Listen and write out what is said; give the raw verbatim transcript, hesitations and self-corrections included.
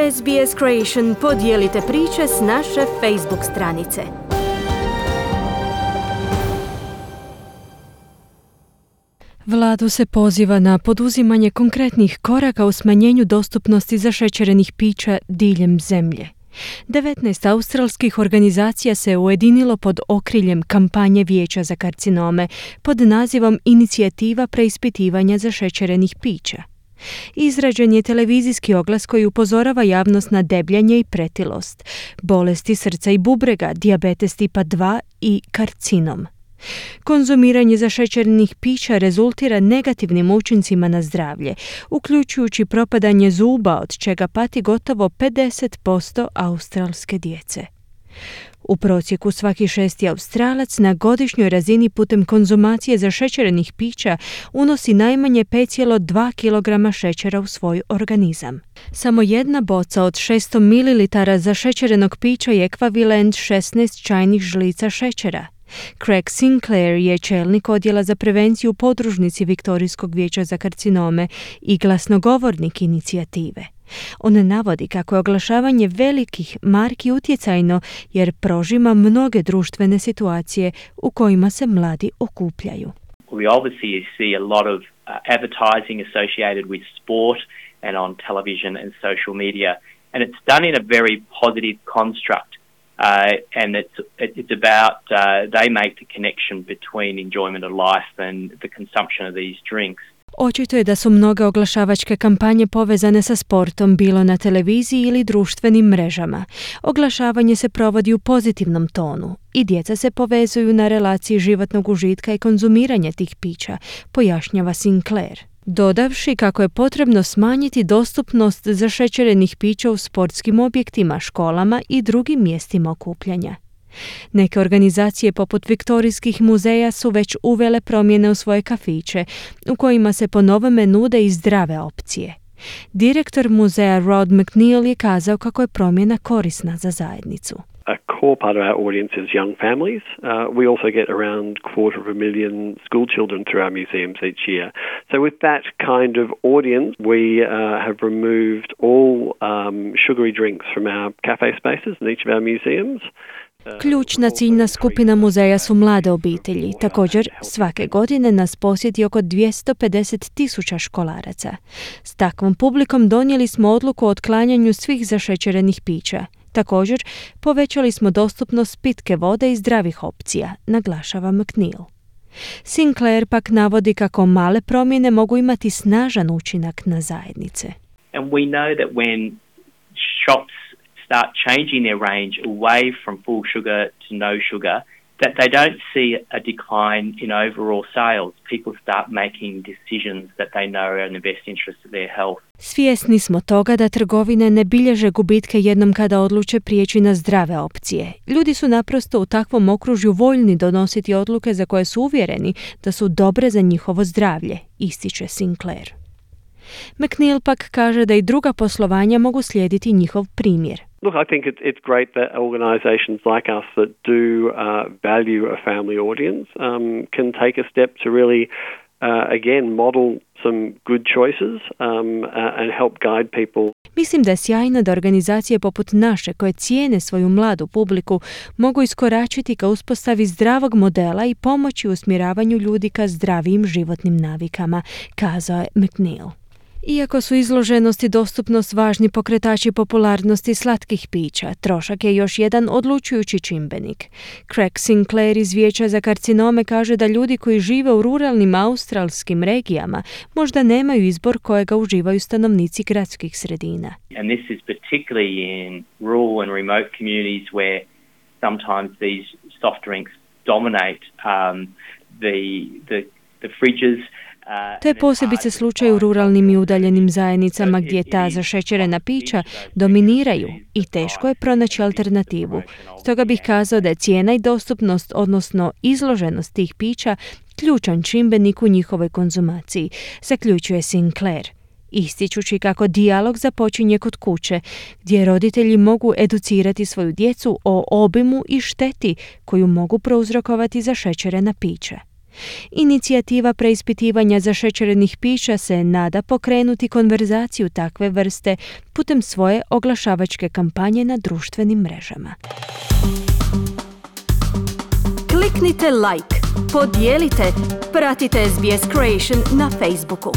S B S Creation podijelite priče s naše Facebook stranice. Vladu se poziva na poduzimanje konkretnih koraka u smanjenju dostupnosti zašećerenih pića diljem zemlje. devetnaest australskih organizacija se ujedinilo pod okriljem kampanje Vijeća za karcinome pod nazivom Inicijativa preispitivanja zašećerenih pića. Izrađen je televizijski oglas koji upozorava javnost na debljanje i pretilost, bolesti srca i bubrega, dijabetes tipa dva i karcinom. Konzumiranje zašećerenih pića rezultira negativnim učincima na zdravlje, uključujući propadanje zuba, od čega pati gotovo pedeset posto australske djece. U prosjeku svaki šesti Australac na godišnjoj razini putem konzumacije zašećerenih pića unosi najmanje pet zarez dva kilograma šećera u svoj organizam. Samo jedna boca od šesto mililitara zašećerenog pića je ekvivalent šesnaest čajnih žlica šećera. Craig Sinclair je čelnik odjela za prevenciju u podružnici Viktorijskog vijeća za karcinome i glasnogovornik inicijative. On navodi kako je oglašavanje velikih marki utjecajno jer prožima mnoge društvene situacije u kojima se mladi okupljaju. We obviously see a lot of uh, advertising associated with sport and on television and social media, and it's done in a very positive construct. Uh, and it's it's about uh, they make the connection between enjoyment of life and the consumption of these drinks. Očito je da su mnoge oglašavačke kampanje povezane sa sportom, bilo na televiziji ili društvenim mrežama. Oglašavanje se provodi u pozitivnom tonu i djeca se povezuju na relaciji životnog užitka i konzumiranja tih pića, pojašnjava Sinclair, dodavši kako je potrebno smanjiti dostupnost zašećerenih pića u sportskim objektima, školama i drugim mjestima okupljanja. Neke organizacije poput Viktorijskih muzeja su već uvele promjene u svoje kafiće, u kojima se po novome nude i zdrave opcije. Direktor muzeja Rod McNeil je kazao kako je promjena korisna za zajednicu. A core part of our audience is young families. Uh, we also get around quarter of a million school children through our museums each year. So with that kind of audience, we uh, have removed all um, sugary drinks from our cafe spaces in each of our museums. Ključna ciljna skupina muzeja su mlade obitelji. Također, svake godine nas posjeti oko dvjesto pedeset tisuća školaraca. S takvom publikom donijeli smo odluku o otklanjanju svih zašećerenih pića. Također, povećali smo dostupnost pitke vode i zdravih opcija, naglašava McNeil. Sinclair pak navodi kako male promjene mogu imati snažan učinak na zajednice. And we know that when shops start changing their range away from full sugar to no sugar, that they don't see a decline in overall sales. People start making decisions that they know are in the best interest of their health. Svjesni smo toga da trgovine ne bilježe gubitke jednom kada odluče prijeći na zdrave opcije. Ljudi su naprosto u takvom okružju voljni donositi odluke za koje su uvjereni da su dobre za njihovo zdravlje, ističe Sinclair. McNeil pak kaže da i druga poslovanja mogu slijediti njihov primjer. Look, I think it's, it's great that organisations like us that do uh, value a family audience um, can take a step to really, uh, again, model some good choices um, uh, and help guide people. Mislim da je sjajno da organizacije poput naše, koje cijene svoju mladu publiku, mogu iskoračiti ka uspostavi zdravog modela i pomoći u usmjeravanju ljudi ka zdravijim životnim navikama, kazao je McNeil. Iako su izloženost i dostupnost važni pokretači popularnosti slatkih pića, trošak je još jedan odlučujući čimbenik. Craig Sinclair iz Vijeća za karcinome kaže da ljudi koji žive u ruralnim australskim regijama možda nemaju izbor kojega uživaju stanovnici gradskih sredina. And this is particularly in rural and remote communities where sometimes these soft drinks dominate um, the, the, the fridges. To je posebice slučaj u ruralnim i udaljenim zajednicama gdje ta zašećerena pića dominiraju i teško je pronaći alternativu. Stoga bih kazao da je cijena i dostupnost, odnosno izloženost tih pića, ključan čimbenik u njihovoj konzumaciji, zaključuje Sinclair, ističući kako dijalog započinje kod kuće, gdje roditelji mogu educirati svoju djecu o obimu i šteti koju mogu prouzrokovati zašećerena pića. Inicijativa preispitivanja zašećerenih pića se nada pokrenuti konverzaciju takve vrste putem svoje oglašavačke kampanje na društvenim mrežama. Kliknite like, podijelite, pratite S B S Creation na Facebooku.